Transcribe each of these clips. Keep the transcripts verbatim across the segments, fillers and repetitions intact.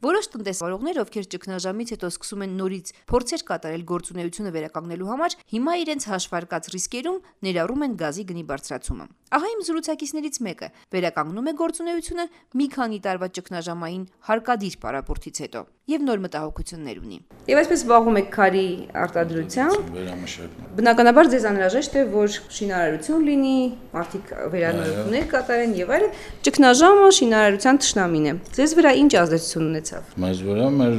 Որոշ տնտեսվարողներ, ովքեր ճգնաժամից հետո սկսում են նորից փորձեր կատարել գործունեությունը վերականգնելու համար, հիմա իրենց հաշվարկած ռիսկերում ներառում են գազի գնի բարձրացումը։ Ահա իմ զրուցակիցներից մեկը վերականգնում է գործունեությունը մի քանի տարվա ճգնաժամային հարկադիր պարապորտից հետո եւ նոր մտահոգություններ ունի։ Եվ այսպես զբաղվում եք քարի արտադրությամբ, բնականաբար ձեզ անհրաժեշտ է, որ շինարարություն լինի, մարդիկ վերանորոգումներ կատարեն եւ այլն։ Ճգնաժամը շինարարության թշնամին է։ Ձեզ վրա ինչ ազդեցություն ունեցավ։ Մեզ վրա մեր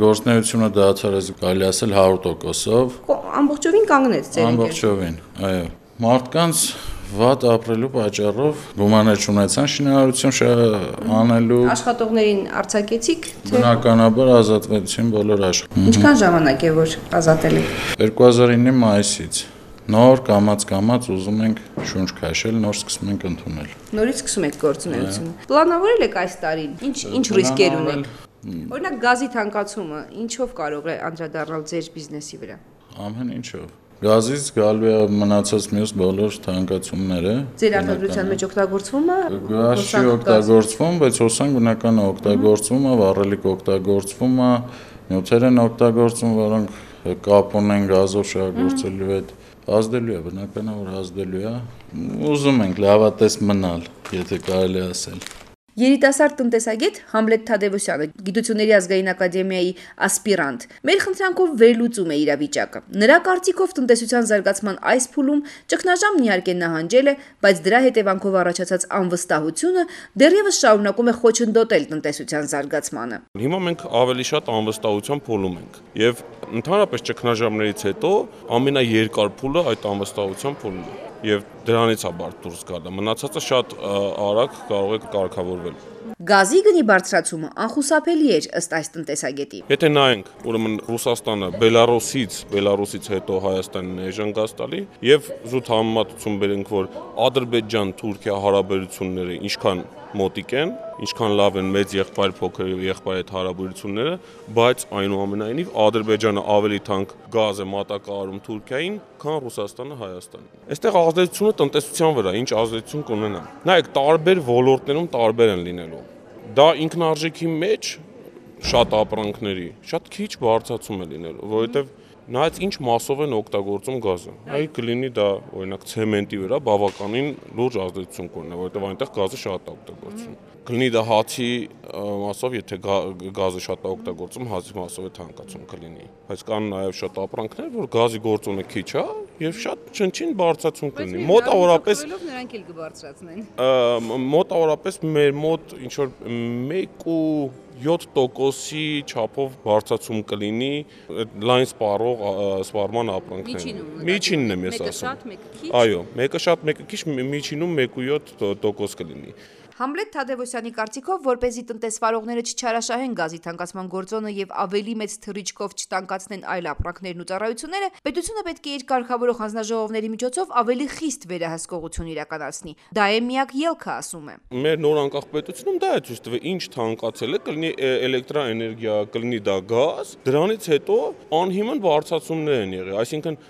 գործունեությունը դարձել է կարելի ասել հարյուր տոկոսով։ Ամբողջովին կանգնեց ձեր Ամբողջովին, այո։ Մարդկանց վատ ապրելու պատճառով գումարներ չունեցան շինարարություն անելու։ Աշխատողներին արձակեցիք, թե բնականաբար ազատվեցին բոլոր աշխատողները։ Ինչքան ժամանակ է որ ազատել եք։ երկու հազար ինը մայիսից նոր կամաց-կամաց ուզում ենք շունչ քաշել, նոր սկսում ենք ընդունել։ Նորից սկսում եք գործունեությունը։ Պլանավորել եք այս տարին ինչ ինչ ռիսկեր ունեք։ Օրինակ գազի թանկացումը ինչով կարող է անդրադառնալ ձեր բիզնեսի վրա։ Ամեն ինչով։ Գազից գալու է մնացած մյուս բոլոր թանկացումները։ Ձեր արտադրության մեջ օգտագործվում է։ Գազ չի օգտագործվում, բայց հոսանք բնական է օգտագործվում է, վառելիք օգտագործվում է, նյութեր են օգտագործվում, որոնք կապ ունեն գազով շահագործելու հետ։ Ազդելու է, բնականաբար ազդելու է։ Ուզում ենք լավատես մնալ, եթե կարելի ասել։ Երիտասարդ տնտեսագետ Համլետ Թադևոսյանը, Գիտությունների ազգային ակադեմիայի ասպիրանտ, մեր խնդրանքով վերլուծում է իրավիճակը։ Նրա կարծիքով տնտեսության զարգացման այս փուլում ճգնաժամն իհարկե նահանջել է, բայց դրա հետևանքով առաջացած անվստահությունը դեռևս շարունակում է խոչընդոտել տնտեսության զարգացմանը։ Հիմա մենք ավելի շատ անվստահության փուլում ենք, եւ ընդհանրապես ճգնաժամներից հետո ամենաերկար փուլը այդ անվստահության փուլն է։ Եվ դրանից է բարդ դուրս գալը, մնացածը շատ արագ կարող է կարգավորվել։ Գազի գնի բարձրացումը անխուսափելի էր ըստ այս տնտեսագետի։ Եթե նայենք, ուրեմն Ռուսաստանը Բելարուսից, Բելարուսից հետո Հայաստանին էժան գազ տալի, եւ զուտ համեմատություն բերենք, որ Ադրբեջան-Թուրքիա հարաբերությունները ինչքան մոտիկ են, ինչքան լավ են մեծ եղբայր փոքր եղբայր այդ հարաբերությունները, բայց այնուամենայնիվ Ադրբեջանը ավելի թանկ գազ է մատակարարում Թուրքիային, քան Ռուսաստանը Հայաստանին։ Այստեղ ազդեցությունը տնտեսության վրա ինչ ազդեցություն կունենա։ Նայեք, տարբեր ոլորտներում տարբեր են լինելու։ Դա ինքնարժեքի մեջ շատ ապրանքների շատ քիչ բարձրացում է լինելու, որովհետև նայած ինչ մասով են օգտագործում գազը։ Այ կլինի դա օրինակ ցեմենտի վրա բավականին լուրջ ազդեցություն կունենա, որովհետև այնտեղ գազը շատ է օգտագործվում։ Կլինի դա հացի մասով, եթե գազը շատ է օգտագործում, հացի մասով է թանկացում կլինի։ Բայց կան նաև շատ ապրանքներ, որ գազի գործոնը քիչ է եւ շատ չնչին բարձրացում կլինի։ Մոտավորապես նրանք էլ կբարձրացնեն։ Մոտավորապես մեր մոտ ինչ որ մեկ ու յոթ տոկոսի չափով բարձրացում կլինի լայն սպառող սպառման ապրանքներին։ Միջինն եմ ես ասում։ Այո, մեկը շատ, մեկը քիչ, միջինում մեկ ու յոթ տոկոս կլինի։ Համլետ Թադևոսյանի կարծիքով, որպեսզի տնտեսվարողները չչարաշահեն գազի թանկացման գործոնը եւ ավելի մեծ թռիչքով չտանկացնեն այլ ապրանքներն ու ծառայությունները, պետությունը պետք է իր կարգավորող հանձնաժողովների միջոցով ավելի խիստ վերահսկողություն իրականացնի։ Դա է միակ ելքը, ասում է։ Մեր նոր անկախ պետությունում դա է ցույց տվել, ինչ թանկացել է, կլինի էլեկտրաէներգիա, կլինի դա գազ, դրանից հետո անհիմն բարձրացումներ են եղել, այսինքն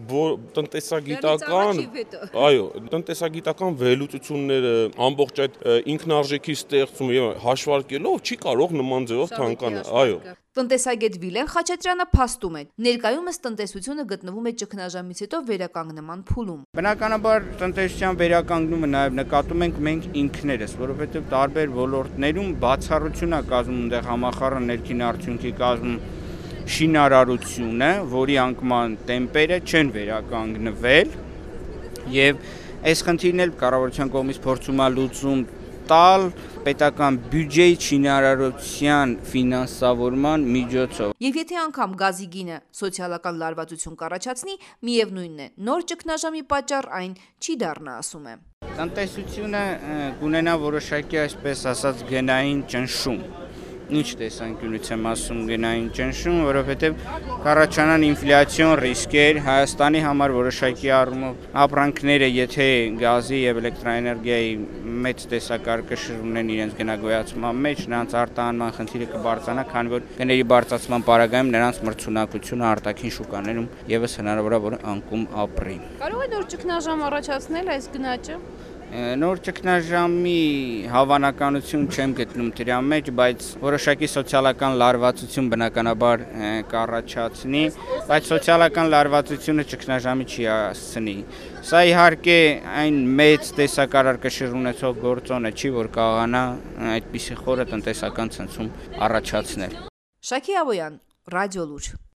տնտեսագիտական, այո, տնտեսագիտական վերլուծությունները, ամբողջ այդ ինքնարժեքի ստեղծումը եւ հաշվարկելով չի կարող նման ձևով թանկանալ, այո։ Տնտեսագետ Վիլեն Խաչատրյանը փաստում է, ներկայումս տնտեսությունը գտնվում է ճգնաժամից հետո վերականգնման փուլում։ Բնականաբար տնտեսության վերականգնումը նաև նկատում ենք մենք ինքներս, որովհետև տարբեր ոլորտներում բացառություն է կազմում այնտեղ համախառն ներքին արդյունքի կազմում շինարարությունը, որի անկման տեմպերը չեն վերականգնվել եւ այս խնդիրն էլ կառավարության կողմից փորձում է լուծում տալ պետական բյուջեի շինարարության ֆինանսավորման միջոցով։ Եվ եթե անգամ գազի գինը սոցիալական լարվածություն կառաջացնի, միևնույնն է, նոր ճգնաժամի պատճառ այն չի դառնա, ասում է։ Տնտեսությունը կունենա որոշակի, այսպես ասած, գնային ճնշում։ Ինչ տեսանկյունից եմ ասում գնային ճնշում, որովհետև կառաջանան ինֆլյացիոն ռիսկեր, Հայաստանի համար որոշակի առումով ապրանքները, եթե գազի եւ էլեկտրաէներգիայի մեծ տեսակարգը ունեն իրենց գնագոյացման մեջ, նրանց արտահանման խնդիրը կբարձրանա, քանի որ գների բարձրացման պարագայում նրանց մրցունակությունը արտաքին շուկաներում եւս հնարավոր է որ անկում ապրի։ Կարող է նոր ճգնաժամ առաջացնել այս գնաճը։ Նոր ճգնաժամի հավանականություն չեմ գտնում դրա մեջ, բայց որոշակի սոցիալական լարվածություն բնականաբար կառաջացնի, բայց սոցիալական լարվածությունը ճգնաժամի չի հասցնի։ Սա իհարկե այն մեծ տեսակարար կշիռ ունեցող գործոնը չի, որ կարողանա այդպիսի խորը տնտեսական ցնցում առաջացնել։ Շակի Աբոյան, Ռադիո Լուր։